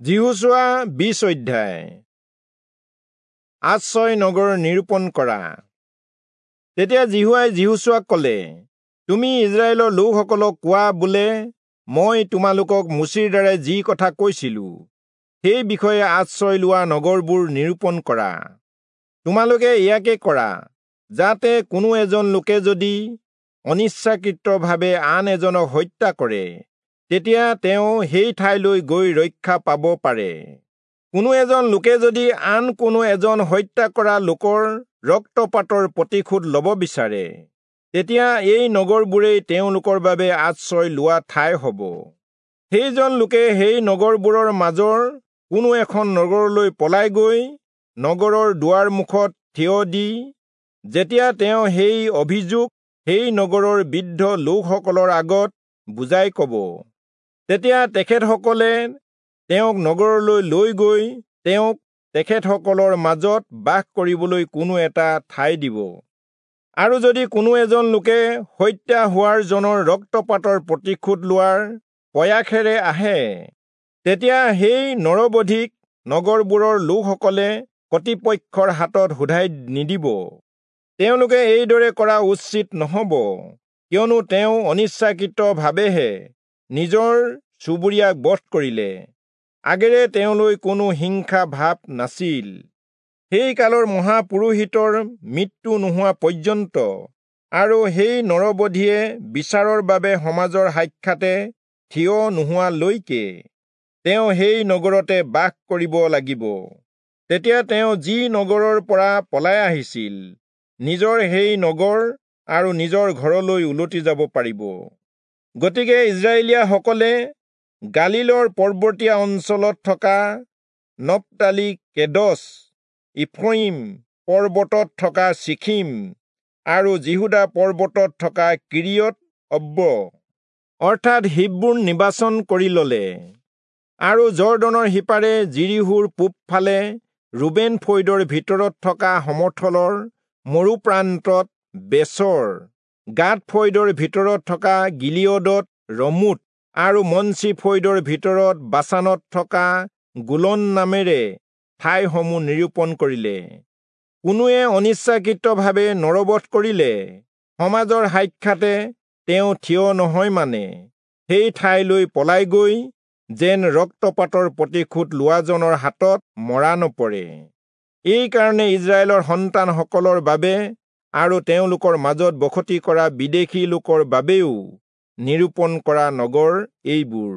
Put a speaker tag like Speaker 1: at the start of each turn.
Speaker 1: যিহোচূৱা 20 অধ্যায়। আশ্ৰয় নগৰ নিৰূপণ কৰা। তেতিয়া যিহোৱাই যিহোচূৱাক ক'লে, তুমি ইস্ৰায়েলৰ লোকসকলক কোৱা বোলে, মই তোমালোকক মোচিৰ দ্বাৰাই যি কথা কৈছিলো সেই বিষয়ে আশ্ৰয় লোৱা নগৰবোৰ নিৰূপণ কৰা। তোমালোকে ইয়াকে কৰা, যাতে কোনো এজন লোকে যদি অনিচ্ছাকৃতভাৱে আন এজনক হত্যা কৰে, তেতিয়া তেওঁ সেই ঠাইলৈ গৈ ৰক্ষা পাব পাৰে। কোনো এজন লোকে যদি আন কোনো এজন হত্যা কৰা লোকৰ ৰক্তপাতৰ প্ৰতিশোধ ল'ব বিচাৰে, তেতিয়া এই নগৰবোৰেই তেওঁলোকৰ বাবে আশ্ৰয় লোৱা ঠাই হ'ব। সেইজন লোকে সেই নগৰবোৰৰ মাজৰ কোনো এখন নগৰলৈ পলাই গৈ নগৰৰ দুৱাৰ মুখত থিয় দি, যেতিয়া তেওঁ সেই অভিযোগ সেই নগৰৰ বৃদ্ধ লোকসকলৰ আগত বুজাই ক'ব, তেতিয়া তেখেতসকলে তেওঁক নগৰলৈ লৈ গৈ তেওঁক তেখেতসকলৰ মাজত বাস কৰিবলৈ কোনো এটা ঠাই দিব। আৰু যদি কোনো এজন লোকে হত্যা হোৱাৰ জনৰ ৰক্তপাতৰ প্ৰতিশোধ লোৱাৰ প্ৰয়াসেৰে আহে, তেতিয়া সেই নৰবধিক নগৰবোৰৰ লোকসকলে কৰ্তৃপক্ষৰ হাতত শোধাই নিদিব। তেওঁলোকে এইদৰে কৰা উচিত নহ'ব, কিয়নো তেওঁ অনিচ্ছাকৃতভাৱেহে নিজৰ চুবুৰীয়াক বধ কৰিলে, আগেৰে তেওঁলৈ কোনো হিংসা ভাৱ নাছিল। সেই কালৰ মহাপুৰোহিতৰ মৃত্যু নোহোৱা পৰ্যন্ত আৰু সেই নৰবধিয়ে বিচাৰৰ বাবে সমাজৰ সাক্ষাতে থিয় নোহোৱালৈকে তেওঁ সেই নগৰতে বাস কৰিব লাগিব। তেতিয়া তেওঁ যি নগৰৰ পৰা পলাই আহিছিল, নিজৰ সেই নগৰ আৰু নিজৰ ঘৰলৈ উলটি যাব পাৰিব। গতিকে ইস্ৰায়েলীয়াসকলে গালীলৰ পৰ্বতীয়া অঞ্চলত থকা নপ্তালি কেদছ, ইফ্ৰয়িম পৰ্বতত থকা চিখিম আৰু যিহূদা পৰ্বতত থকা কিৰিয়ত অব্ব অৰ্থাৎ হিব্ৰোন নিৰ্বাচন কৰি ললে। আৰু যৰ্দনৰ সিপাৰে যিৰীহোৰ পূবফালে ৰুবেন ফৈদৰ ভিতৰত থকা সমথলৰ মৰুপ্ৰান্তত বেচৰ, গাদ ফৈদৰ ভিতৰত থকা গিলিয়দত ৰমোত আৰু মনচি ফৈদৰ ভিতৰত বাচানত থকা গোলন নামেৰে ঠাইসমূহ নিৰূপণ কৰিলে। কোনোৱে অনিচ্ছাকৃতভাৱে নৰবধ কৰিলে সমাজৰ সাক্ষাতে তেওঁ থিয় নহয় মানে সেই ঠাইলৈ পলাই গৈ যেন ৰক্তপাতৰ প্ৰতিশোধ লোৱাজনৰ হাতত মৰা নপৰে। এইকাৰণে ইস্ৰায়েলৰ সন্তানসকলৰ বাবে আৰু তেওঁলোকৰ মাজত বসতি কৰা বিদেশী লোকৰ বাবেও নিৰূপণ কৰা নগৰ এইবোৰ।